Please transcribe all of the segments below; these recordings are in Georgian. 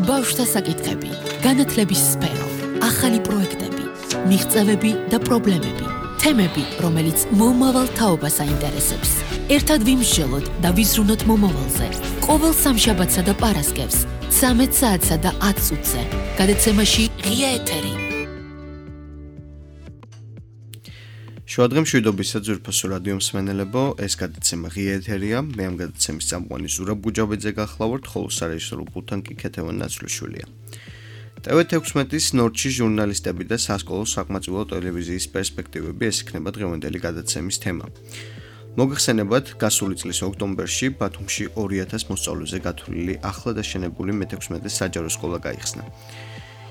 ბავშვთა საკითხები, განათლების სფერო, ახალი პროექტები, მიღწევები და პრობლემები, თემები, რომელიც მომავალ თაობას აინტერესებს. ერთად ვიმსჯელოთ და ვიზრუნოთ მომავალზე. ყოველ სამშაბათსა და პარასკევს, 13 საათსა და 10 წუთზე. გადაცემაში ღია ეთერი. შუადღე მშვიდობისა ძვირფასო რადიო მსმენელებო, ეს გადაცემა ღია ეთერია. მე ამ გადაცემის წამყვანი ზურაბ გუჯაბეძე გახლავართ, ხოლო სარეჟისორო პულტთან კი ქეთევან ნაცვლიშვილია. TV16-ის ნორჩი ჟურნალისტები და სასკოლო საკმაწყვილო ტელევიზიის პერსპექტივები ეს იქნება დღევანდელი გადაცემის თემა. მოგეხსენებათ, გასული წლის ოქტომბერში ბათუმში 2000 მოსწავლეზე გათვლილი ახლა დაშენებული მე-16 საჯარო სკოლა გაიხსნა.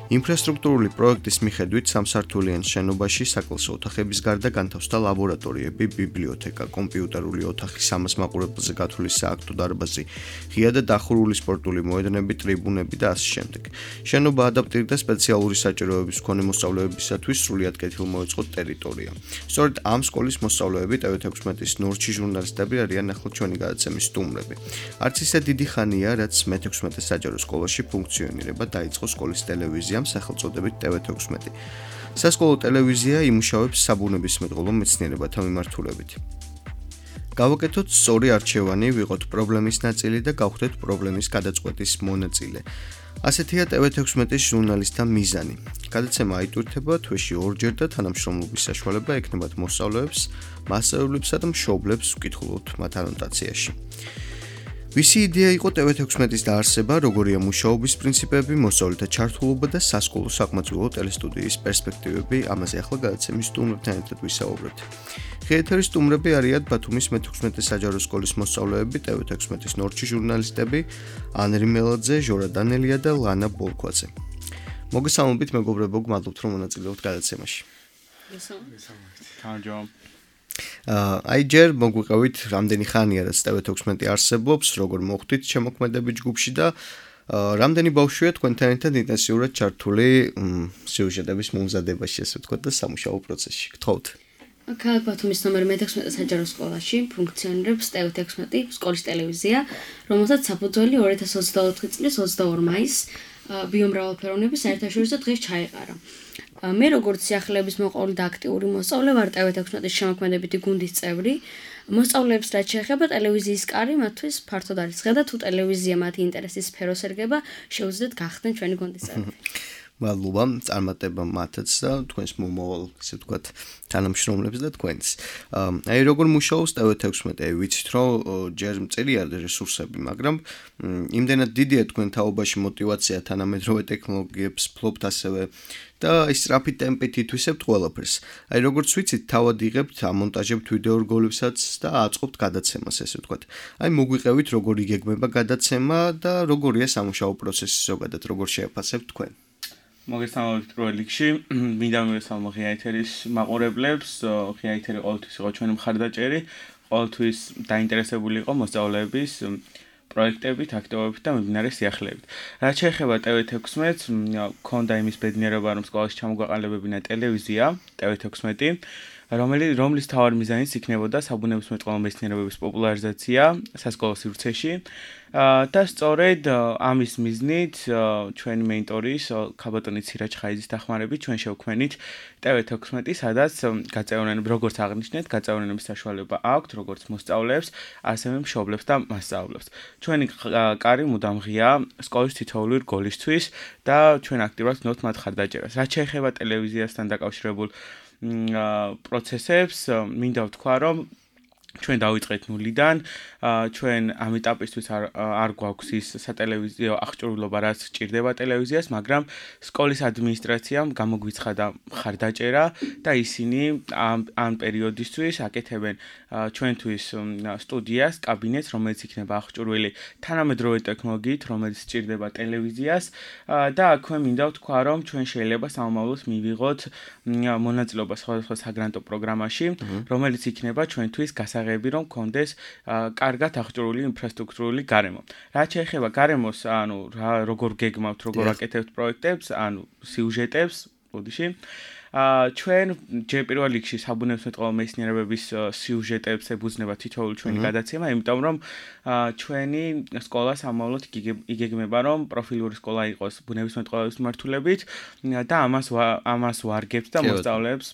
ინფრასტრუქტურული პროექტის მიხედვით სამსართულიან შენობაში საკლასო ოთახების გარდა განთავსდა ლაბორატორიები, ბიბლიოთეკა, კომპიუტერული ოთახი, 300 მაყურებელზე გათვლილი სააქტო დარბაზი, ღია და დახურული სპორტული მოედნები, ტრიბუნები და ასე შემდეგ. შენობა ადაპტირდა სპეციალური საჭიროების მქონე მოსწავლეებისათვის სრულიად კეთილმოეწყო ტერიტორია. სწორედ ამ სკოლის მოსწავლეები TV16-ის ნორჩი ჟურნალისტები არიან ახლა ჩვენი გადაცემის სტუმრები. არც ისე დიდი ხანია, რაც მე-16 საჯარო სკოლაში ფუნქციონირება დაიწყო სკოლის ტელევიზია სახელწოდებით TV16. სასკოლო ტელევიზია იმუშავებს საბუნებისმეტყველო მეცნიერებათა მიმართულებით. გავაკეთოთ სწორი არჩევანი, ვიყოთ პრობლემის ნაწილი და გავხდეთ პრობლემის გადაწყვეტის მონაწილე. ასეთია TV16-ის ჟურნალისტთა მიზანი. გადაცემა აიტვირთება თვეში 2 ჯერ და თანამშრომლობის საშუალება ექნებათ მოსწავლეებს, მასწავლებლებსა და მშობლებს ვკითხულობთ მათ ანოტაციაში. ვისი იდეა იყო TV16-ის დაარსება, როგორია მუშაობის პრინციპები, მოსწავლეთა ჩართულობა და სასკოლო საკმაწყვილო ტელესტუდიის პერსპექტივები, ამაზე ახლა გადაცემის სტუმრებთან ერთად ვისაუბრებთ. ღია ეთერის სტუმრები არიან ბათუმის მე-16 საჯარო სკოლის მოსწავლეები, TV16-ის ნორჩი ჟურნალისტები, ანრი მელაძე, ჟორა დანელია და ლანა ბოლქვაძე. მოგესალმებით, მეგობრებო, გმადლობთ, რომ მონაწილეობთ გადაცემაში. აი ჯერ მოგვიყევით რამდენი ხანია რაც TV16 არსებობს, როგორ მოხვდით შემოქმედებით ჯგუფში და რამდენი ბავშვია თქვენთან ერთად ინტენსიურად ჩართული სიუჟეტების მომზადებაში, ასე ვთქვათ, და სამუშაო პროცესში. გთხოვთ. ქალაქ ბათუმის ნომერ მე-16 საჯარო სკოლაში ფუნქციონირებს TV16 სკოლის ტელევიზია, რომელსაც საფუძველი 2024 წლის 22 მაისს ბიომრავალფეროვნების საერთაშორისო დღეს ჩაეყარა. მე როგორც სიახლეების მოყოლი და აქტიური მოსწავლე ვარ TV16-ის შემოქმედებითი გუნდის წევრი. მოსწავლეებს რაც შეეხება ტელევიზიის კარი მათთვის ფართოდ არის ხედა და თუ ტელევიზია მათი ინტერესის სფეროს ერგება, შეუძლიათ გახდნენ ჩვენი გუნდის წევრები. მადლობა, წარმატება მათაც და თქვენს მომავალ, ისე ვთქვათ, თანამშრომლებს და თქვენს. აი როგორ მუშაობს TV16, ვიცით რომ ჯერ მწირია რესურსები, მაგრამ იმდენად დიდია თქვენ თაობაში мотиваცია თანამედროვე ტექნოლოგიებს ფლობთ ასევე და სწრაფი ტემპით ითვისებთ ყველაფერს. აი როგორც ვიცით, თავად იღებთ, ამონტაჟებთ ვიდეო რგოლებსაც და აწყობთ გადაცემას, ესე ვთქვათ. აი მოგვიყევით როგორ იგეგმება გადაცემა და როგორია სამუშაო პროცესი ზოგადად, როგორ შეაფასებთ თქვენ. მოგესალმებით პირველ რიგში, მინდა მივესალმო ღია ეთერის მაყურებლებს, ღია ეთერი ყოველთვის იყო ჩვენი მხარდაჭერი, ყოველთვის დაინტერესებული იყო მოსწავლეების პროექტებით, აქტივობებით და მიმდინარე სიახლეებით. რაც შეეხება TV16-ს, მქონდა იმის ბედნიერება, რომ სკოლაში ჩამოგვაყალიბებინა ტელევიზია, TV16, რომლის მთავარი მიზანიც იქნებოდა საბუნებისმეტყველო მეცნიერებების პოპულარიზაცია სასკოლო სივრცეში. და სწორედ ამის მიზნით ჩვენი მენტორის ქაბატონი ცირაჯ ხაიზის დახმარებით ჩვენ შევქმნით TV16, სადაც გაწევრიანების, როგორც აღნიშნეთ, გაწევრიანების საშუალება აქვთ როგორც მოსწავლეებს, ასევე მშობლებს და მასწავლებლებს. ჩვენი კარი მუდამ ღია სკოლის თითოეული რგოლისთვის და ჩვენ აქტიურად ვქნებთ მათ ხარდაჭერას. რაც შეეხება ტელევიზიასთან დაკავშირებულ პროცესებს, მინდა ვთქვა, რომ ჩვენ დავიწყეთ ნულიდან, ჩვენ ამ ეტაპისთვის არ გვაქვს ის სატელევიზიო აღჭურვილობა, რაც სჭირდება ტელევიზიას, მაგრამ სკოლის ადმინისტრაციამ გამოგვიცხადა მხარდაჭერა და ისინი ამ პერიოდისთვის აკეთებენ ჩვენთვის სტუდიას, კაბინეტს, რომელიც იქნება აღჭურვილი თანამედროვე ტექნოლოგიით, რომელიც სჭირდება ტელევიზიას და აქვე მინდა ვთქვა, რომ ჩვენ შეიძლება სამომავლოდ მივიღოთ მონაწილეობა სხვადასხვა საგრანტო პროგრამაში, რომელიც იქნება ჩვენთვის გასაღები, რომ გქონდეს კარგად აღჭურვილი ინფრასტრუქტურული გარემო. რაც შეეხება გარემოს, ანუ როგორ გეგმავთ, როგორ აკეთებთ პროექტებს, ანუ სიუჟეტებს, ბოდიში. ჩვენ ჯერ პირველ რიგში საბუნებისმეტყველო მეცნიერებების სიუჟეტებს ებუძნება თითოეული ჩვენი გადაცემა, იმიტომ რომ ჩვენი სკოლა სამომავლოდ იგეგმება რომ პროფილური სკოლა იყოს ბუნებისმეტყველების მიმართულებით და ამას ვარგებთ და მოსწავლეებს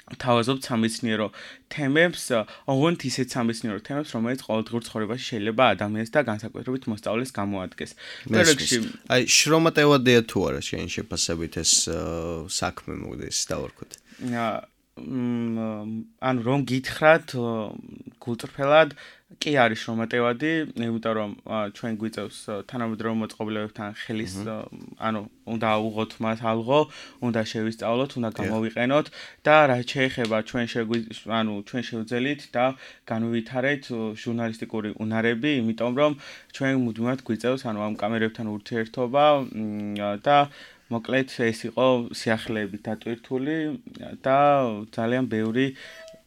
თავაზობთ სამეცნიერო თემებს, ოღონდ ისეთ სამეცნიერო თემებს, რომელიც ყოველდღიურ ცხოვრებაში შეიძლება ადამიანს და განსაკუთრებით მოსწავლეს გამოადგეს. აი, შრომატევადია თუ არა შენ შეფასებით ეს საქმე მოგდეს დავარქვით. ანუ რომ გითხრათ გულწრფელად კი არის შრომატევადი, იმიტომ რომ ჩვენ გვიწევს თანამედროვე მოწყობილობებთან ხელის, ანუ უნდა უღოთ მას ალღო, უნდა შევისწავლოთ, უნდა გამოვიყენოთ და რაც შეეხება ჩვენ შევძელით და განვითარეთ ჟურნალისტიკური უნარები, იმიტომ რომ ჩვენ მუდმივად გვიწევს ამ კამერებთან ურთიერთობა და მოკლედ ეს იყო სიახლეებით დატვირთული და ძალიან ბევრი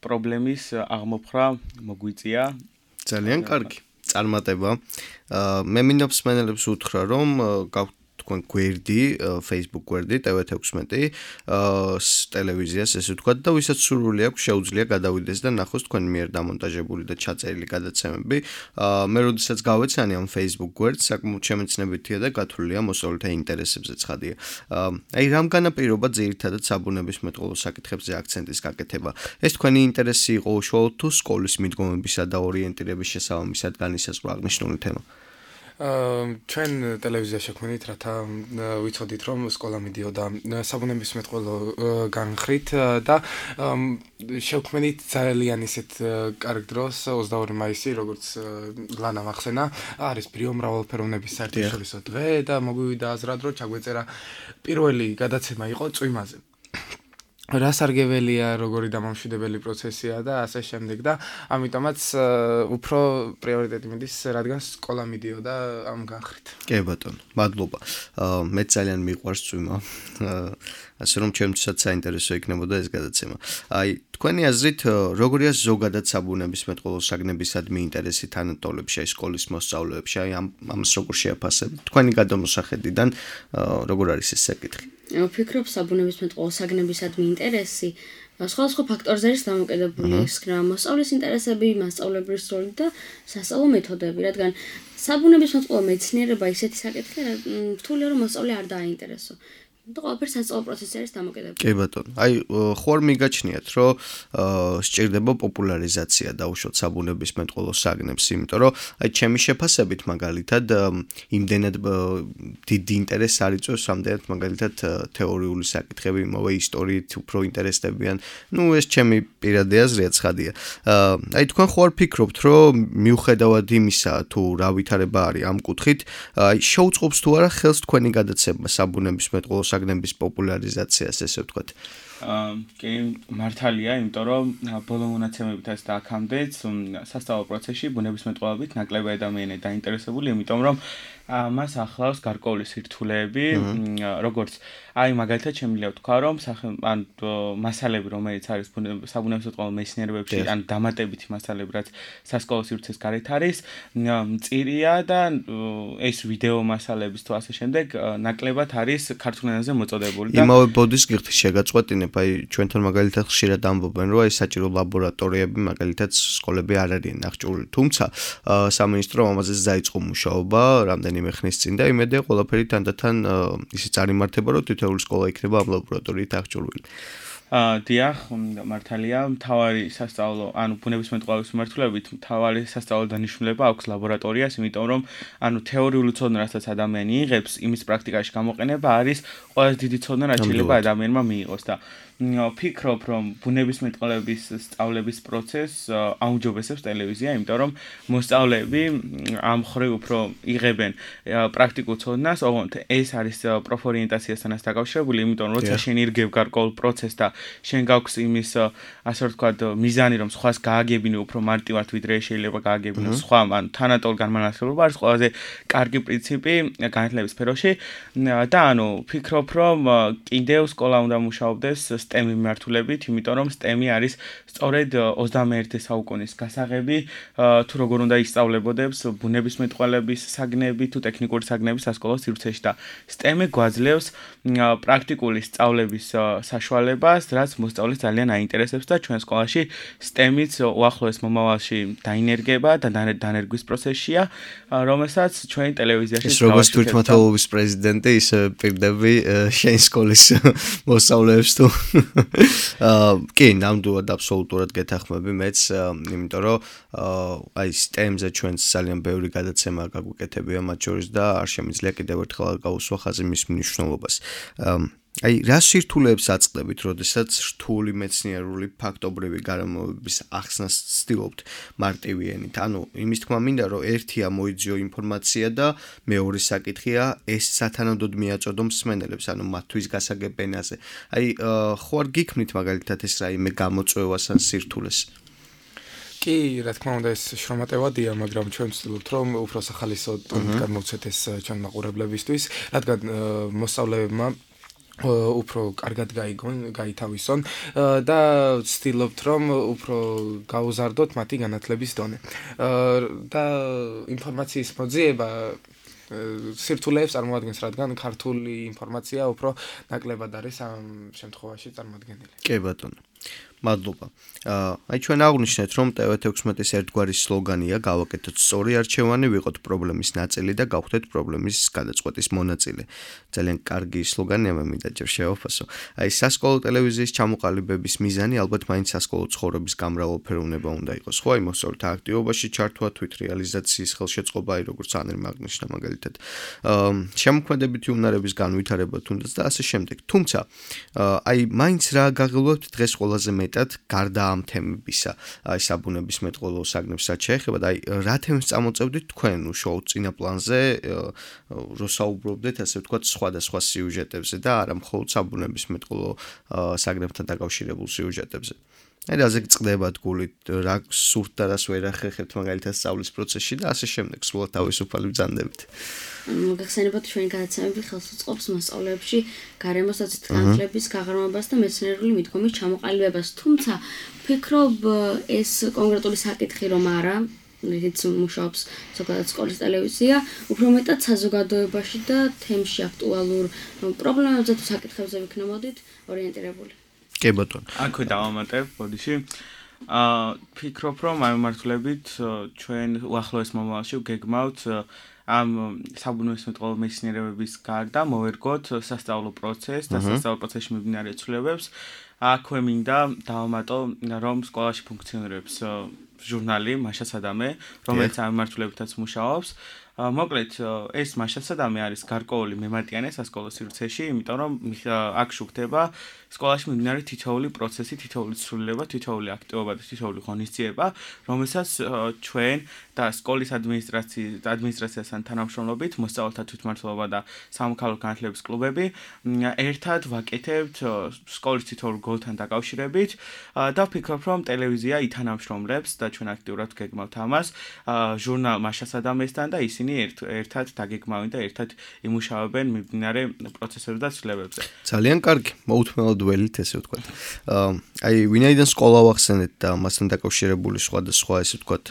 პრობლემის აღმოფხვრა მოგვიწია. ძალიან კარგი. წარმატება. მე მინდა მსმენელებს უთხრა რომ თქვენ გვერდი, Facebook გვერდი TV16 ტელევიზიას ესე ვთქვათ და ვისაც სურვილი აქვს შეუძლია გადავიდეს და ნახოს თქვენ მიერ დამონტაჟებული და ჩაწერილი გადაცემები. მე როდესაც გავეცანი ამ Facebook გვერდს, საკმაოდ შემეცნებითია და გათვლილია მოსწავლეთა ინტერესებზე ცხადია. აი რამ განაპირობა ძირითადად საბუნებისმეტყველო საკითხებზე აქცენტის გაკეთება? ეს თქვენი ინტერესი იყო უშუალოდ თუ სკოლის მიდგომებისა და ორიენტირების შესაბამისად განისაზღვრა აღნიშნული თემა? ჩვენ ტელევიზიაში შექმნით, რათა ვიცოდით, რომ სკოლა მიდიოდა საბუნებისმეტყველო განხრით და შევქმნით ძალიან ისეთ კარგ დროს 22 მაისი, როგორც ლანამ ახსენა, არის ბიომრავალფეროვნების საერთაშორისო დღე და მოგვივიდა აზრად, რომ ჩაგვეწერა პირველი გადაცემა იყო წვიმაზე. რა სარგებელია, როგორი დამამშვიდებელი პროცესია და ასე შემდეგ და ამიტომაც უფრო პრიორიტეტი მიდის, რადგან სკოლა მიდიოდა ამ განხრით. კი ბატონო, მადლობა. მე ძალიან მიყვარს წვიმა. ასე რომ ჩემთვისაც საინტერესო იქნებოდა ეს გადაცემა. აი, თქვენი აზრით, როგორია ზოგადად საბუნებისმეტყველო საგნებისადმი ინტერესი თანატოლებში, სკოლის მოსწავლეებში, აი ამას როგორ შეაფასებთ? თქვენი გადამოსახედიდან როგორ არის ეს საკითხი? ვფიქრობ, საბუნებისმეტყველო საგნებისადმი ინტერესი სხვადასხვა ფაქტორზე არის დამოკიდებული, ისქნა მოსწავლის ინტერესები, მასწავლებლის როლი და სასწავლო მეთოდები, რადგან საბუნებისმეტყველო მეცნიერება ისეთი საკითხია, რთულია რომ მოსწავლე არ დააინტერესო. და ყველაფერი სასწავლო პროცესში არის დამოკიდებული. კი ბატონო. აი, ხوار მიგაჩნიათ, რომ სჭირდება პოპულარიზაცია დაუშვათ საბუნებისმეტყველო საგნებს, იმიტომ რომ აი ჩემი შეფასებით მაგალითად იმდენად დიდი ინტერესი არ იწვევს, რამდენად მაგალითად თეორიული საკითხები, იმავე ისტორიით უფრო ინტერესდებიან. ნუ ეს ჩემი პირადი აზრია, ცხადია. აი თქვენ ხوار ფიქრობთ, რომ მიუხედავად იმისა, თუ რა ვითარება არის ამ კუთხით, აი შეუწყობს თუ არა ხელს თქვენი გადაცემა საბუნებისმეტყველო საგნების პოპულარიზაციას, ესე ვთქვათ. კი, მართალია, იმიტომ რომ ბოლო მონაცემებითაც და აქამდეც სასწავლო პროცესში ბუნებისმეტყველებით ნაკლები ადამიანი დაინტერესებული, იმიტომ რომ მას ახლავს გარკვეული სირთულეები, როგორც აი მაგალითად შემიძლია ვთქვა, რომ მასალები, რომელიც არის საბუნებისმეტყველო მეცნიერებებში, ან დამატებითი მასალები, რაც სასკოლო სივრცეს გარეთ არის, მწირია და ეს ვიდეო მასალების თუ ასე შემდეგ ნაკლებად არის ქართულ ენაზე მოწოდებული და იმავე ბოდის გიხდი შეგაწყვეტინებ, აი ჩვენთან მაგალითად ხშირად ამბობენ, რომ აი საჭირო ლაბორატორიები მაგალითად სკოლები არ არიან აღჭურვილი, თუმცა სამინისტრო ამაზე დაიწყო მუშაობა რამდენიმე ხნის წინ და იმედია ყველაფერი თანდათან ისე წარიმართება, რომ თითოეული სკოლა იქნება ამ ლაბორატორიით აღჭურვილი. დიახ, მართალია, მთავარი სასწავლო, ანუ ბუნებისმეტყველების მიმართულებით მთავარი სასწავლო დანიშნულება აქვს ლაბორატორიას, იმიტომ რომ ანუ თეორიული ცოდნა, რასაც ადამიანი იღებს, იმის პრაქტიკაში გამოყენება არის ყველაზე დიდი ცოდნა, რაც შეიძლება ადამიანმა მიიღოს და ვფიქრობ, რომ ბუნებისმეტყველების სწავლების პროცესს აუმჯობესებს ტელევიზია, იმიტომ რომ მოსწავლეები ამ მხრივ უფრო იღებენ პრაქტიკულ ცოდნას, ოღონდ ეს არის პროფორიენტაციასთან დაკავშირებული, იმიტომ რომ როცა შენ ირგებ გარკვეულ პროცესს და შენ გაქვს იმის ასე ვთქვათ მიზანი რომ სხვას გააგებინე უფრო მარტივად ვიდრე შეიძლება გააგებინო სხვა ან თანატოლ განმანათლებლობა არის ყველაზე კარგი პრინციპი განათლების სფეროში და ანუ ვფიქრობ რომ კიდევ სკოლა უნდა მუშაობდეს STEM მიმართულებით იმიტომ რომ STEM არის სწორედ 21 საუკუნის გასაღები თუ როგორ უნდა ისწავლებოდებს ბუნებისმეტყველების საგნები თუ ტექნიკური საგნები სასკოლო სივრცეში და STEM გვაძლევს პრაქტიკული სწავლების საშუალებას, რაც მოსწავლეს ძალიან აინტერესებს და ჩვენ სკოლაში STEM-იც უახლოეს მომავალში დაინერგება და დანერგვის პროცესშია, რომელსაც ჩვენ ტელევიზიაში ეს როგორც თვითმმართველობის პრეზიდენტი ის პირდები შენ სკოლის მოსწავლეებს თუ კი, ნამდვილად აბსოლუტურად გეთანხმები მეც, იმიტომ რომ აი STEM-ზე ჩვენს ძალიან ბევრი გადაცემა გაგვიკეთებია მათ შორის და არ შემიძლია კიდევ ერთხელ გავუსვა ხაზი მის მნიშვნელობას. აი რა სირთულეებს აწყდებით, როდესაც რთული მეცნიერული ფაქტობრივი გარემოებების ახსნას ცდილობთ მარტივი ენით? ანუ იმის თქმა მინდა, რომ ერთია მოიძიო ინფორმაცია და მეორე საკითხია ეს სათანადოდ მიაწოდო მსმენელებს, ანუ მათთვის გასაგებ ენაზე. აი ხო არ გიქმნით მაგალითად ეს რაიმე გამოწვევას ან სირთულეს? კი, რა თქმა უნდა ეს შრომატევადია, მაგრამ ჩვენ ვცდილობთ რომ უფრო სახალისო ტონით გადმოვცეთ ეს ჩვენ მაყურებლებისთვის, რადგან მოსწავლეებმა უფრო კარგად გაითავისონ და ვცდილობთ რომ უფრო გაუზარდოთ მათი განათლების დონე. და ინფორმაციის მოძიება სირთულეებს წარმოადგენს, რადგან ქართული ინფორმაცია უფრო ნაკლებად არის ამ შემთხვევაში წარმოადგენილი. კი ბატონო. მადლობა. აი ჩვენ აღვნიშნეთ რომ TV16-ის ერთგვარი სლოგანია გავაკეთოთ სწორი არჩევანი, ვიყოთ პრობლემის ნაწილი და გავხდეთ პრობლემის გადაწყვეტის მონაწილე. ძალიან კარგი სლოგანია, მე მინდა ჯერ შევაფასო. აი სასკოლო ტელევიზიის ჩამოყალიბების მიზანი ალბათ მაინც სასკოლო ცხოვრების გამრავალფეროვნება უნდა იყოს. ხო, აი მოსწავლეთა აქტივობაში ჩართვა, თვითრეალიზაციის ხელშეწყობა, აი როგორც ანრი მაგნიშნა მაგალითად. შემოქმედებითი უნარების განვითარება თუნდაც და ასე შემდეგ. თუმცა აი მაინც რა გაღელვებთ დღეს ყველაზე მეტად გარდა ამ თემებისა, აი საბუნებისმეტყველო საგნებს რაც შეეხება და აი რა თემებს წამოწევდით თქვენ შოუს წინა პლანზე, რო საუბრობდეთ ასე ვთქვათ სხვადასხვა სიუჟეტებზე და არა მხოლოდ საბუნებისმეტყველო საგნებთან დაკავშირებულ სიუჟეტებზე. აი რაზე გწყდებათ გულით, რა სურთ და რას ვერ ახერხებთ მაგალითად სწავლის პროცესში და ასე შემდეგ, სულ თავისუფალი ბრძანდებით. მოგახსენებათ ჩვენი გადაცემები ხელს უწყობს მოსწავლეებში გარემოსაცით განათლების გაღრმავებას და მეცნიერული მიდგომის ჩამოყალიბებას. თუმცა ვფიქრობ ეს კონკრეტული საკითხი რომ არა, რითიც მუშაობს ზოგადად სკოლის ტელევიზია, უფრო მეტად საზოგადოებაში და თემში აქტუალურ პრობლემებზე თუ საკითხებზე ვიქნებოდით ორიენტირებული. კი ბატონო. აქვე დავამატებ, ბოდიში. ვფიქრობ რომ ამ მიმართულებით ჩვენ უახლოეს მომავალში ვგეგმავთ ამ საბუნებისმეტყველო მეცნიერებების გარდა მოვერგოთ სასწავლო პროცესს და სასწავლო პროცესში მიმდინარე ცვლილებებს. აქვე მინდა დავამატო რომ სკოლაში ფუნქციონირებს ჟურნალი მაშასადამე, რომელიც ამ მიმართულებითაც მუშაობს. მოკლედ ეს მაშასადამე არის გარკვეული მემატიანე სასკოლო სივრცეში, იმიტომ რომ აქ შუქდება სკოლაში მიმდინარე თითოეული პროცესი, თითოეული ცვლილება, თითოეული აქტივობა და თითოეული ღონისძიება, რომელსაც ჩვენ და სკოლის ადმინისტრაციასთან თანამშრომლობით, მოსწავლეთა თვითმმართველობა და სამოქალაქო განათლების კლუბები ერთად ვაკეთებთ სკოლის თითოეულ გოლთან დაკავშირებით და ვფიქრობ, რომ ტელევიზია ითანამშრომლებს და ჩვენ აქტიურად ვგეგმავთ ამას ჟურნალ მაშასადამესთან და ისინი ერთად დაგეგმავენ და ერთად იმუშავებენ მიმდინარე პროცესებზე და ცვლილებებზე. ძალიან კარგი, მოუთმენლად ველით ესე ვთქვათ. აი ვინაიდან სკოლა ვახსენეთ და მასთან დაკავშირებული სხვადასხვა ესე ვთქვათ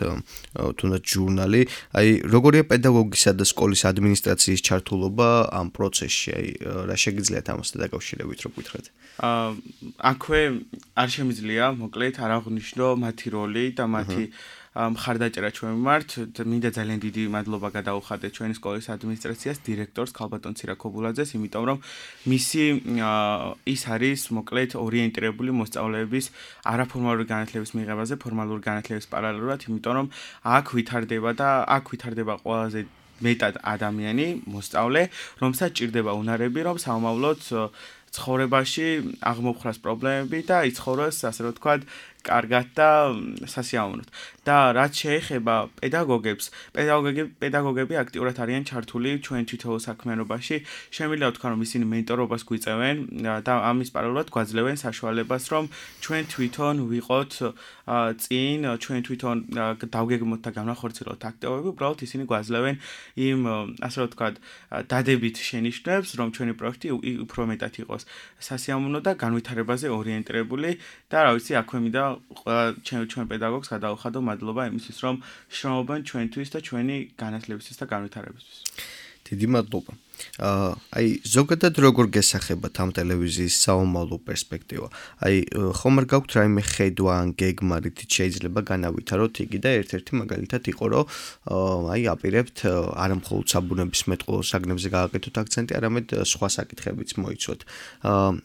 თუნდაც ჟურნალი, აი როგორია პედაგოგისა და სკოლის ადმინისტრაციის ჩართულობა ამ პროცესში, აი რა შეგიძლიათ ამასთან დაკავშირებით რო გითხრათ? აქვე არ შემიძლია მოკლედ არ აღვნიშნო მათი როლი და მათი მხარდაჭერა ჩვენ მიმართ. მინდა ძალიან დიდი მადლობა გადაუხადე ჩვენი სკოლის ადმინისტრაციას, დირექტორს ქალბატონ ცირაკობულაძეს, იმიტომ რომ მისი ის არის მოკლედ ორიენტირებული მოსწავლეების არაფორმალური განათლების მიღებაზე ფორმალური განათლების პარალელურად, იმიტომ რომ აქ ვითარდება ყველაზე მეტად ადამიანი, მოსწავლე, რომელსაც ჭირდება უნარები, რომ სამომავლოდ ცხოვრებაში აღმოფხრას პრობლემები და იცხოვროს, ასე რომ ვთქვათ, კარგად და სასიამოვნოდ. და რაც შეეხება პედაგოგებს, პედაგოგები აქტიურად არიან ჩართული ჩვენ თვითონ საქმიანობაში. შემიძლია ვთქვა, რომ ისინი მენტორობას გვიწევენ და ამის პარალელურად გვაძლევენ საშუალებას, რომ ჩვენ თვითონ ვიყოთ წინ, ჩვენ თვითონ დავგეგმოთ და განახორციელოთ აქტივობები, უბრალოდ ისინი გვაძლევენ იმ ასე რომ ვთქვათ, დადებით შენიშვნებს, რომ ჩვენი პროექტი უფრო მეტად იყოს სასიამოვნო და განვითარებაზე ორიენტირებული და რა ვიცი, აქვე მინდა ჩვენ პედაგოგს გადავხადო მადლობა იმისთვის, რომ შრომობენ ჩვენთვის და ჩვენი განათლებისთვის და განვითარებისთვის. დიდი მადლობა. აი ზოგადად როგორ გესახებათ ამ ტელევიზიის საომავლო პერსპექტივა? აი ხომ არ გაქვთ რაიმე ხედვა ან გეგმა, რითიც შეიძლება განავითაროთ იგი და ერთ-ერთი მაგალითად იყო, რომ აი აპირებთ არა მხოლოდ საბუნებისმეტყველო საგნებზე გააკეთოთ აქცენტი, არამედ სხვა საკითხებიც მოიცვათ.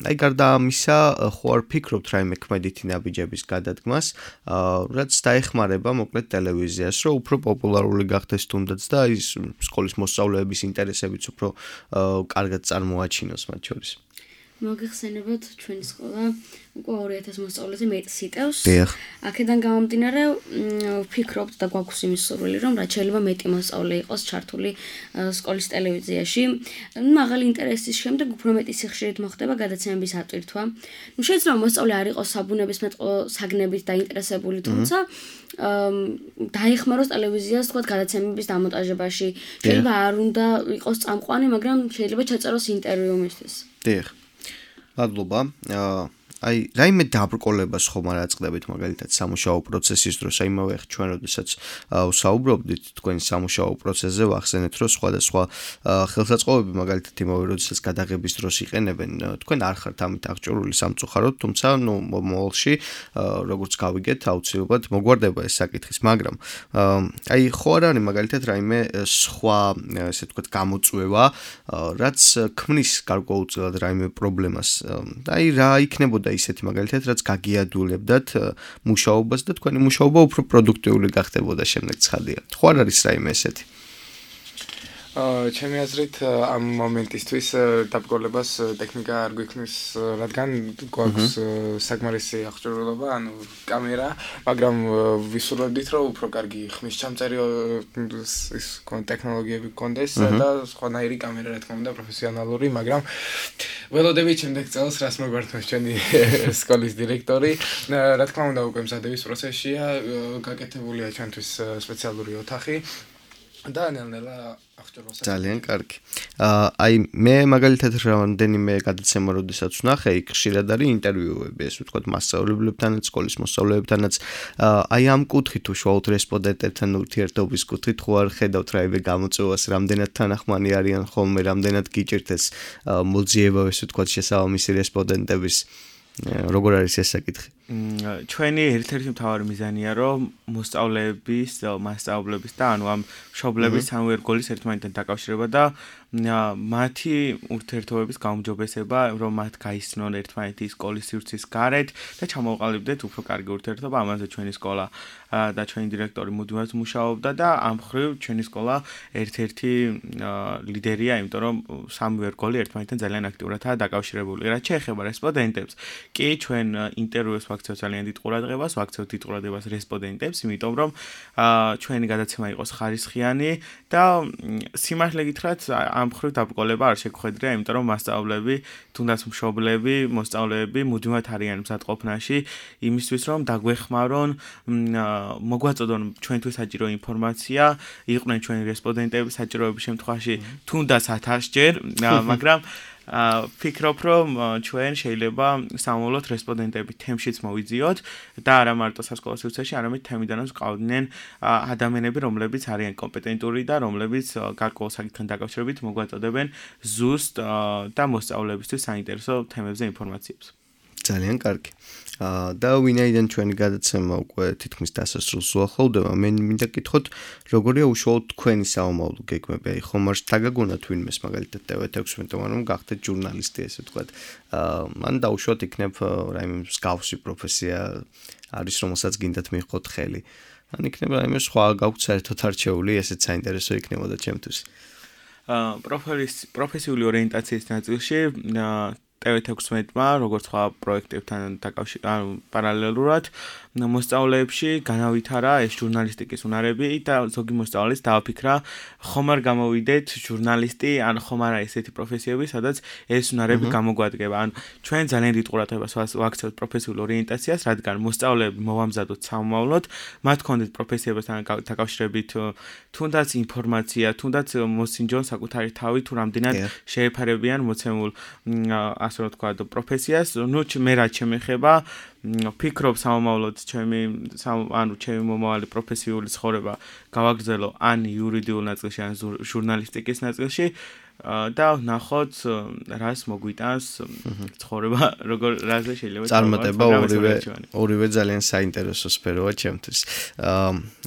აი გარდა ამისა, ხო არ ფიქრობთ რაიმე ქმედითი ნაბიჯების გადადგმას, რაც დაეხმარება მოკლედ ტელევიზიას, რომ უფრო პოპულარული გახდეს თუნდაც და ის სკოლის მოსწავლეების ინტერესებიც უფრო კარგად წარმოაჩინოს მათ შორის. მოგეხსენებათ ჩვენი სკოლა უკვე 2000 მოსწავლეზე მეტს იტევს. დიახ. აქედან გამომდინარე ვფიქრობთ და გვაქვს იმის სურვილი, რომ რაც შეიძლება მეტი მოსწავლე იყოს ჩართული სკოლის ტელევიზიაში. მაღალი ინტერესის შემდეგ უფრო მეტი სიხშირით მოხდება გადაცემების ატვირთვა. შეიძლება მოსწავლე არ იყოს საბუნებისმეტყველო საგნებით დაინტერესებული, თუმცა დაეხმაროს ტელევიზიას თქვა გადაცემების დამონტაჟებაში. შეიძლება არ უნდა იყოს წამყვანი, მაგრამ შეიძლება ჩაწეროს ინტერვიუ მისთვის. დიახ. მადლობა. აი რაიმე დაბრკოლებას ხომ არ აწყდებით მაგალითად სამუშაო პროცესის დროს, აი იმავე ჩვენ როდესაც ვსაუბრობდით თქვენ სამუშაო პროცესზე, ვახსენეთ, რომ სხვადასხვა ხელსაწყობები მაგალითად იმავე როდესაც გადაღების დროს იყენებენ, თქვენ არ ხართ ამით აღჭურვილი სამწუხაროდ, თუმცა ნუ მომავალში როგორც გავიგეთ, აუცილებლად მოგვარდება ეს საკითხის, მაგრამ აი ხო არ არის მაგალითად რაიმე სხვა ესე ვთქვათ გამოწვევა, რაც ქმნის გარკვეულწილად რაიმე პრობლემას. აი რა იქნებოდა ისეთი მაგალითად, რაც გაგიადულებდათ მუშაობას და თქვენი მუშაობა უფრო პროდუქტიული გახდებოდა შემდეგ ცხადია. ხო არ არის რაიმე ესეთი? ჩემი აზრით ამ მომენტისთვის დაბრკოლებას ტექნიკა არ გვიქმნის, რადგან გვაქვს საკმარისი აღჭურვილობა, ანუ კამერა, მაგრამ ვისურვებდით, რომ უფრო კარგი ხმის ჩამწერი ის ტექნოლოგიები გქონდეს და სხვანაირი კამერა რა თქმა უნდა პროფესიონალური, მაგრამ ველოდებით შემდეგ წელს რას მოგვართმევს ჩვენი სკოლის დირექტორი. რა თქმა უნდა უკვე მზადების პროცესია, გაკეთებულია ჩვენთვის სპეციალური ოთახი. და ნელ-ნელა აღჭურვილს. ძალიან კარგი. აი მე მაგალითად რამდენიმე გადაცემა როდესაც ვნახე, იქ ხშირად არის ინტერვიუები, ეს ვთქვათ მასწავლებლებთანაც, სკოლის მოსწავლეებთანაც. აი ამ კუთხით უშუალოდ რესპონდენტებთან ურთიერთობის კუთხით ხო არ ხედავთ რაიმე გამოწვევას, რამდენად თანახმანი არიან ხოლმე, რამდენად გიჭირთ ეს მოძიება, ეს ვთქვათ შესაბამისი რესპონდენტების, როგორ არის ეს საკითხი? ჩვენი ერთ-ერთი მთავარი მიზანია, რომ მოსწავლეების, მასწავლებლების და ანუ ამ მშობლების სამი ერგოლის ერთმანეთთან დაკავშირება და მათი ურთიერთობების გაუმჯობესება, რომ მათ გაიცნონ ერთმანეთი სკოლის სივრცის გარეთ და ჩამოყალიბდეთ უფრო კარგი ურთიერთობა. ამაზე ჩვენი სკოლა და ჩვენი დირექტორი მუდმივად მუშაობდა და ამ მხრივ ჩვენი სკოლა ერთ-ერთი ლიდერია, იმიტომ რომ სამი ერგოლი ერთმანეთთან ძალიან აქტიურადაა დაკავშირებული. რაც შეეხება რესპონდენტებს, კი ჩვენ ინტერვიუს ვაქცევთ ძალიან დიდ ყურადღებას, ვაქცევთ დიდ ყურადღებას რესპონდენტებს, იმიტომ რომ ჩვენი გადაცემა იყოს ხარისხიანი და სიმართლე გითხრათ, ამ მხრივ დაბრკოლება არ შეგხვედრია, იმიტომ რომ მასწავლებლები, თუნდაც მშობლები, მოსწავლეები მუდმივად არიან მზადყოფნაში იმისთვის, რომ დაგვეხმარონ, მოგვაწოდონ ჩვენთვის საჭირო ინფორმაცია, იყვნენ ჩვენი რესპონდენტები საჭიროების შემთხვევაში თუნდაც 1000 ჯერ, მაგრამ ფიქრობ, რომ ჩვენ შეიძლება სამომავლოდ რესპონდენტები თემშიც მოვიძიოთ და არა მარტო სასკოლო სივრცეში, არამედ თემიდანაც ყავდნენ ადამიანები, რომლებიც არიან კომპეტენტური და რომლებიც გარკვეულ საკითხთან დაკავშირებით მოგვაწოდებენ ზუსტ და მოსწავლეებისთვის საინტერესო თემებზე ინფორმაციებს. ძალიან კარგი. და ვინაიდან ჩვენი გადაცემა უკვე თითქმის დასასრულს უახლოვდება, მე მინდა გითხოთ, როგორია უშუალოდ თქვენი საომავლო გეგმები? აი ხომ არ დაგაგონათ ვინმეს მაგალითად TV16-მ რომ გახდეთ ჟურნალისტი, ესე ვთქვათ. მან დაუშვათ იქნებ რაიმე მსგავსი პროფესია არის, რომელსაც გინდათ მიიღოთ ხელი. ან იქნება რაიმე სხვა გაქვთ საერთოდ არჩეული, ესეც საინტერესო იქნებოდა ჩემთვის. პროფესიული ორიენტაციის ნაწილში TV16-მა, როგორც სხვა პროექტებთან პარალელურად მოსწავლეებში განავითარა ეს ჟურნალისტიკის უნარები და ზოგი მოსწავლეს დააფიქრა ხომ არ გამოვიდეთ ჟურნალისტი, ან ხომ არა ესეთი პროფესიები, სადაც ეს უნარები გამოგვადგება. ან ჩვენ ძალიან დიდ ყურადღებას ვაქცევთ პროფესიულ ორიენტაციას, რადგან მოსწავლეები მოვამზადოთ სამომავლოდ, მათ ჰქონდეთ პროფესიებთან დაკავშირებით თუნდაც ინფორმაცია, თუნდაც მოსინჯონ საკუთარი თავი თუ რამდენად შეეფარებიან მოცემულ ასე რომ ვთქვა პროფესიას. ნუ მე რაც შემეხება ფიქრობ სამომავლოდ ჩემი მომავალი პროფესიული ცხოვრება გავაგრძელო ან იურიდიულ ნაწილში ან ჟურნალისტიკის ნაწილში და ნახოთ რას მოგვიტანს ცხოვრება როგორ რაზე შეიძლება წარმატება ორივე ძალიან საინტერესო სფეროა ჩემთვის.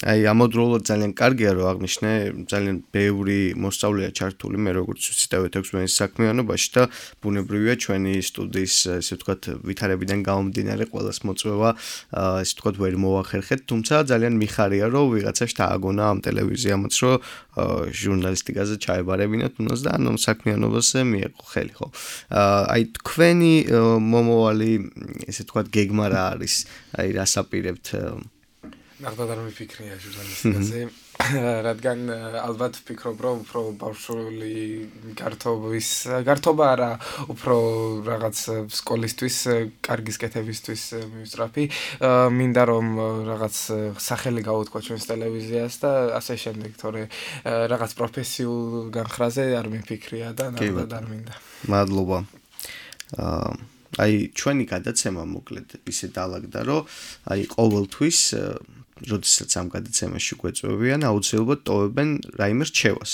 აი ამავდროულად ძალიან კარგია რომ აღნიშნე ძალიან ბევრი მოსწავლეა ჩართული მე როგორც ვიცი TV16-ის საქმიანობაში და ბუნებრივია ჩვენი სტუდიის ესე ვთქვათ ვითარებიდან გამომდინარე ყველას მოწვევა ესე ვთქვათ ვერ მოახერხეთ, თუმცა ძალიან მიხარია რომ ვიღაცას დააგონა ამ ტელევიზიამაც რომ ჟურნალისტიკაზე ჩაებარებინათ უნდას და ანუ საქმიანობაზე მიეყო ხელი ხო. აი თქვენი მომავალი ესე ვთქვათ გეგმა რა არის? აი რას აპირებთ? ნახდათ არ მიფიქრია ჟურნალისტიკაზე, რადგან ალბათ ვფიქრობ რომ უფრო ბავშვური გართობა არა, უფრო რაღაც სკოლისთვის, კარგის კეთებისთვის მივსწრაფი. მინდა რომ რაღაც სახელი გავუთქვა ჩვენს ტელევიზიას და ასე შემდეგ, თორე რაღაც პროფესიულ განხრაზე არ მიფიქრია და ნახდათ არ მინდა. მადლობა. აი ჩვენი გადაცემა მოკლედ ისე დაალაგდა რომ აი ყოველთვის როდესაც ამ გადაცემაში გვეწვევიან, აუცილებლად ტოვებენ რაიმე რჩევას.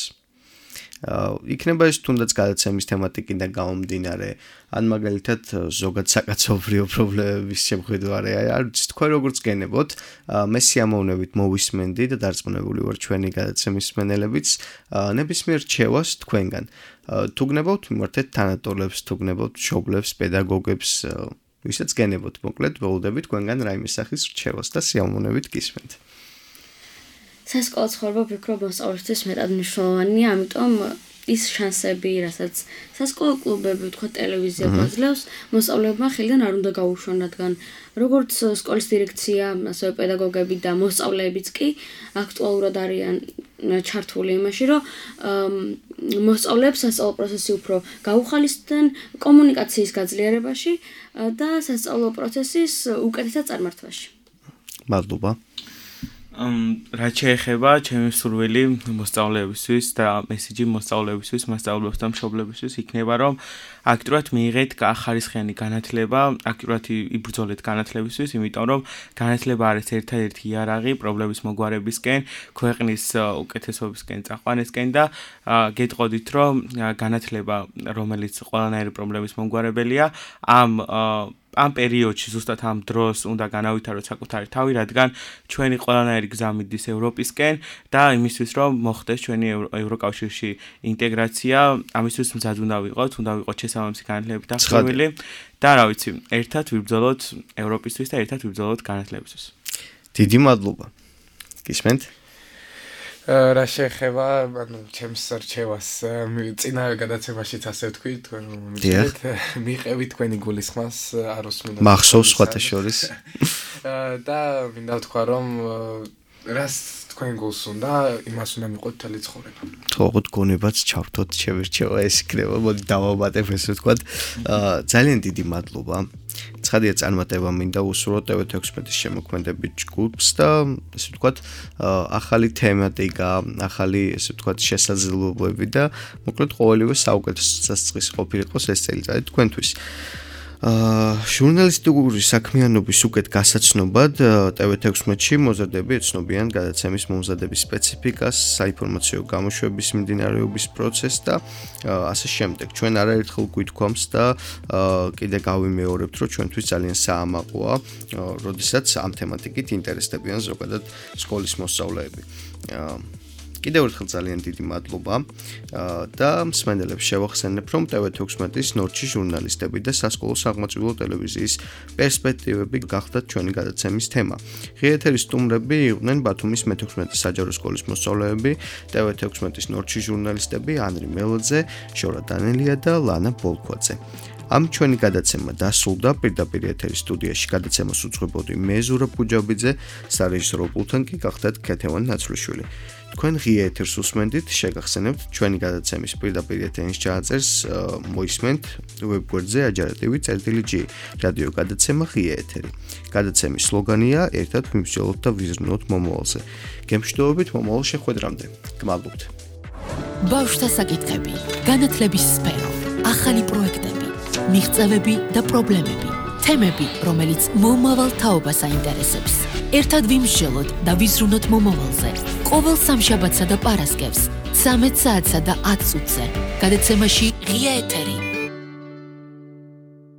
იქნება ეს თუნდაც გადაცემის თემატიკიდან გამომდინარე, ან მაგალითად ზოგად საკაცობრიო პრობლემების შემხედვარე, არ ვიცი თქვენ როგორც გენებოთ, მე სიამოვნებით მოვისმენდი და დარწმუნებული ვარ ჩვენი გადაცემის მსმენელებიც ნებისმიერ რჩევას თქვენგან. თუ გნებავთ მიმართეთ თანატოლებს, თუ გნებავთ მშობლებს, პედაგოგებს, ვისაც გენებოთ, მოკლედ ველოდებით თქვენგან რაიმე სახის რჩევას და სიამოვნებით გისმენთ. სასკოლო ცხოვრება ვფიქრობ მოსწავლისთვის მეტად მნიშვნელოვანია, ამიტომ ის შანსები, რასაც სასკოლო კლუბები, თქვა ტელევიზია გვაძლევს, მოსწავლეებმა ხელიდან არ უნდა გაუშვან, რადგან როგორც სკოლის დირექცია, ასევე პედაგოგები და მოსწავლეებიც კი აქტუალურად არიან ჩართული იმაში, რომ მოსწავლეებს სასწავლო პროცესი უფრო გაუხალისდნენ კომუნიკაციის გაძლიერებაში და სასწავლო პროცესის უკეთესად წარმართვაში. მადლობა. რაც შეეხება ჩემი სურვილი მოსწავლეებისთვის და მესიჯი მოსწავლეებისთვის, მასწავლებელს და მშობლებისთვის იქნება, რომ აქტიურად მიიღეთ ხარისხიანი განათლება, აქტიურად იბრძოლეთ განათლებისთვის, იმიტომ რომ განათლება არის ერთადერთი იარაღი პრობლემის მოგვარებისკენ, ქვეყნის უკეთესობისკენ, წაყვანისკენ და გეტყოდით, რომ განათლება, რომელიც ყველანაირი პრობლემის მომგვარებელია, ამ პერიოდში ზუსტად ამ დროს უნდა განავითაროთ საკუთარი თავი, რადგან ჩვენი ყველანაირი გზა მიდის ევროპისკენ და იმისთვის რომ მოხდეს ჩვენი ევროკავშირში ინტეგრაცია, ამისთვის მზად უნდა ვიყოთ შესაბამისი განათლებით დახრილი და რა ვიცი, ერთად ვიბრძოლოთ ევროპისთვის და ერთად ვიბრძოლოთ განათლებისთვის. დიდი მადლობა. გისმენთ? რა შეეხება, ანუ ჩემს რჩევას წინა გადაცემაშიც ასე ვთქვი, თქვენ მიიღებით თქვენი გულისხმას არ უსმინოთ. მახსოვს სხვათა შორის. და მინდა ვთქვა, რომ რას თქვენ გულს უნდა, იმას უნდა მიყოთ მთელი ცხოვრება. თქო, გონებაც ჩავთოთ, შევირჩევა ეს იქნება, მოდი დავავატებ ესე ვთქვათ. ძალიან დიდი მადლობა. ცხადია წარმატება მინდა უსურვოთ TV16-ის შემოქმედებით ჯგუფს და ესე ვთქვათ, ახალი თემატიკა, ახალი ესე ვთქვათ შესაძლებლობები და მოკლედ ყოველივე საუკეთესო სასწრის ყოფილიყოს ეს წელიწადი თქვენთვის. ჟურნალისტიკური საქმიანობის უკეთ გასაცნობად TV16-ში მოზარდები ეცნობიან გადაცემის მომზადების სპეციფიკას, საინფორმაციო გამოშვების მიმდინარეობის პროცესს და ასე შემდეგ. ჩვენ არაერთხელ გვითქვამს და კიდე გავიმეორებთ, რომ ჩვენთვის ძალიან საამაყოა, როდესაც ამ თემატიკით ინტერესდებიან ზოგადად სკოლის მოსწავლეები. კიდევ ერთხელ ძალიან დიდი მადლობა და მსმენელებს შევახსენებ, რომ TV16-ის ნორჩი ჟურნალისტები და სასკოლო აღმაწვილო ტელევიზიის პერსპექტივები გახდათ ჩვენი გადაცემის თემა. ღია ეთერის სტუმრები იყვნენ ბათუმის მე-16 საჯარო სკოლის მოსწავლეები, TV16-ის ნორჩი ჟურნალისტები ანრი მელოძე, შორა დანელია და ლანა ბოლქვაძე. ამ ჩვენი გადაცემა დასრულდა პირდაპირ ეთერის სტუდიაში გადაცემას უძღვებოდი მე ზურაბ ბუჯაბიძე, სარეჟისორო პულტთან კი გახდათ ქეთევან ნაცვლიშვილი. თქვენ ღია ეთერს უსმენდით, შეგახსენებთ ჩვენი გადაცემის პირდაპირ ეთერის ჩაწერს მოისმენთ ვებგვერდზე ajarativi.g რადიო გადაცემა ღია ეთერი. გადაცემის სლოგანია ერთად ვიმსჯელოთ და ვიზრუნოთ მომავალზე. გემშვიდობებით მომავალ შეხვედრამდე. გმადლობთ. ბავშვთა საკითხები, განათლების სფერო, ახალი პროექტები, მიღწევები და პრობლემები, თემები, რომელიც მომავალ თაობას აინტერესებს. ერთად ვიმსჯელოთ და ვიზრუნოთ მომავალზე. ყოველ სამშაბათსა და პარასკევს 13 საათსა და 10 წუთზე. გადაცემაში ღია ეთერი.